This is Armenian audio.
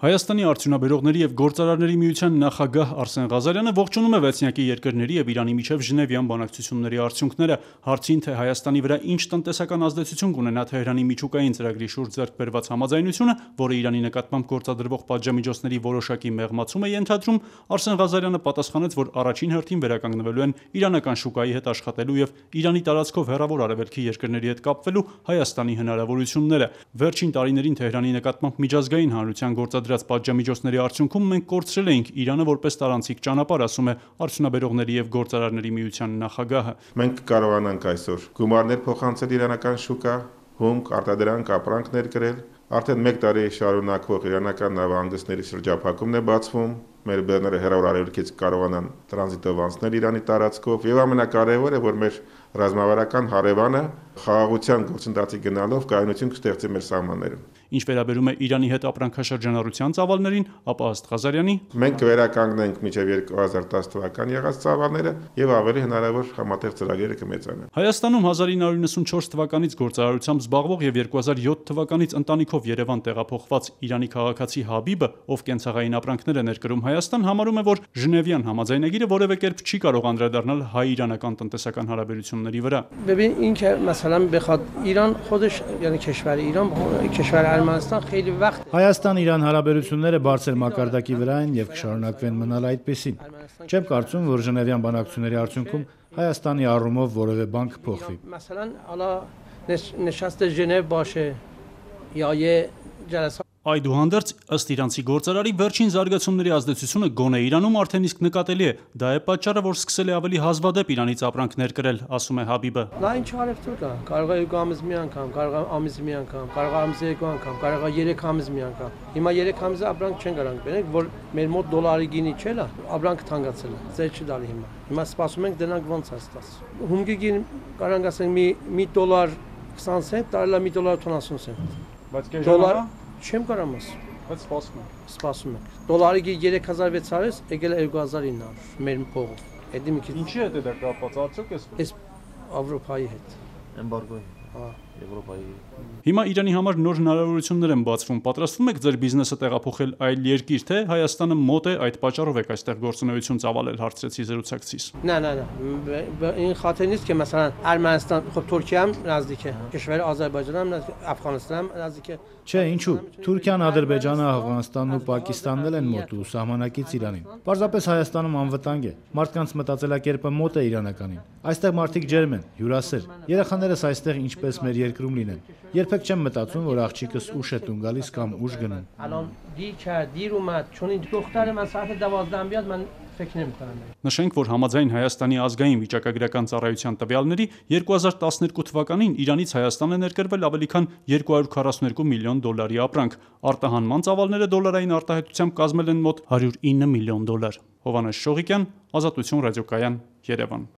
Հայաստանի արդյունաբերողների և գործարարների միության նախագահ Արսեն Ղազարյանը ողջունում է վեցնյակի երկրների և Իրանի միջև Ժնևյան բանակցությունների արդյունքները։ Հարցին, թե Հայաստանի վրա ինչ տնտեսական ազդեցություն կունենա Թեհրանի միջուկային ծրագրի շուրջ ձեռք բերված համաձայնությունը, որը Իրանի նկատմամբ գործադրվող պատժամիջոցների որոշակի մեղմացում է ենթադրում, Արսեն Ղազարյանը պատասխանեց, որ առաջին հերթին վերականգնվելու են իրանական շուկայի հետ աշխատելու և Իրանի տարածքով հեռավոր արևելքի երկրների հետ կապվելու Հայաստանի հնարավորությունները։ Վերջին տարիներին Թեհրանի նկատմամբ միջազգային հանրության գործադրած պատժամիջոցների արդյունքում մենք կորցրել էինք Իրանը որպես տարանցիկ ճանապարհ, ասում է Արդյունաբերողների և գործարարների միության նախագահը։ Մենք կարողանանք այսօր գումարներ փոխանցել իրանական շուկա, հումք, արտադրանք, ապրանք ներկրել։ Արդեն 1 տարի շարունակվող իրանական նավահանգիստների շրջափակումն է բացվում, մեր բեռները հեռավոր արևելքից կարողանան տրանզիտով անցնել Իրանի տարածքով, եւ ամենակարևորը, որ մեր ռազմավարական հարևանը խաղաղության գործընթացի գնալով կայունություն կստեղծի մեր սահմաններում։ Ինչ վերաբերում է Իրանի հետ ապրանքաշրջանառության ծավալներին, ապա ըստ Ղազարյանի մենք կվերականգնենք մինչև 2010 թվական եղած ծավալները եւ ավելի հնարավոր համատեղ ծրագրերը կմեծանան։ Հայաստանում 1994 թվականից գործարարությամբ զբաղվող եւ 2007 թվականից ընտանիքով Երևան տեղափոխված Իրանի քաղաքացի Հաբիբը, ով կենցաղային ապրանքներ է ներկրում Հայաստան, համարում է, որ Ժնևյան համաձայնագիրը որևէ կերպ չի կարող անդրադառնալ հայ-իրանական տնտեսական հարաբերությունների վրա։ ببین این که مثلا بخواد ایران خودش یعنی کشور ایران کشور ارمنستان خیلی وقت Հայաստան-Իրան հարաբերությունները բարձր մակարդակի վրա են եւ կշարունակվեն մնալ այդպեսին։ Չեմ կարծում, որ Ժնևյան բանակցությունների արդյունքում Հայաստանի առումով որևէ բան կփոխվի։ مثلا حالا نشست ژنو باشه یا یه جلسه Այդուհանդերձ, ըստ իրանցի գործարարի, վերջին զարգացումների ազդեցությունը գոնե Իրանում արդեն իսկ նկատելի է։ Դա է պատճառը, որ սկսել է ավելի հազվադեպ Իրանից ապրանքներ կրել, ասում է Հաբիբը։ Նա ինչ արևտուր կա, կարող է 2 ամիս մի անգամ, կարող է ամիսի մի անգամ, կարող է ամիսի 2 անգամ, կարող է 3 ամիս մի անգամ։ Հիմա 3 ամիսը ապրանք չեն գրանք բերենք, որ մեր մոտ դոլարի գինի չէ, ապրանքը թանկացել է, ձեր չի դալի հիմա։ Հիմա սպասում ենք դրանք ոնց է ստաց։ Հումգի գին կարող ասենք մի դոլար 20 سنت, տարելա մի դոլար 70 سنت։ Բայց դոլար չեմ կարող ասել։ Բայց Սպասում ենք։ Դոլարի 3600 եկել է 2900 մեր փողով։ Էդի մի քիչ։ Ինչի հետ է դա կապված, արդյոք էս Եվրոպայի հետ։ Էմբարգոյի։ Եվրոպայի։ Հիմա Իրանի համար նոր հնարավորություններ են բացվում։ Պատրաստվում եք ձեր բիզնեսը տեղափոխել այլ երկիր, թե Հայաստանը մոտ է այդ պատճառով եք այստեղ գործունեություն ծավալել, հարցրեցի զրուցակցիս։ نه این خاطر نیست که مثلا ارمنستان خب ترکیه هم نزدیکه کشور آذربایجان هم نزدیک افغانستان هم نزدیکه Չէ, ինչու։ Թուրքիան, Ադրբեջանը, Աֆղանստանն ու Պակիստանն են մոտ ու սահմանակից Իրանին։ Պարզապես Հայաստանում անվտանգ է։ Մարդկանց մտածելակերպը մոտ է իրանականին։ Այստեղ մարդիկ ջերմ են, հյուրասեր։ Երեխաներս այստեղ ինչպես մեր երկրում լինեն։ Երբեք չեմ մտածում, որ աղջիկս ուշ է տուն գալիս կամ ուշ գնում։ الان دیر اومد چون این دختر من ساعت 12 بیاد من فکر نمی‌کنم Նշենք, որ համաձայն Հայաստանի ազգային վիճակագրական ծառայության տվյալների 2012 թվականին Իրանից Հայաստան է ներկրվել ավելի քան 242 միլիոն դոլարի ապրանք։ Արտահանման ծավալները դոլարային արտահայտությամբ կազմել են մոտ 109 միլիոն դոլար։ Հովհաննես Շողիկյան, Ազատություն ռադիոկայան, Երևան։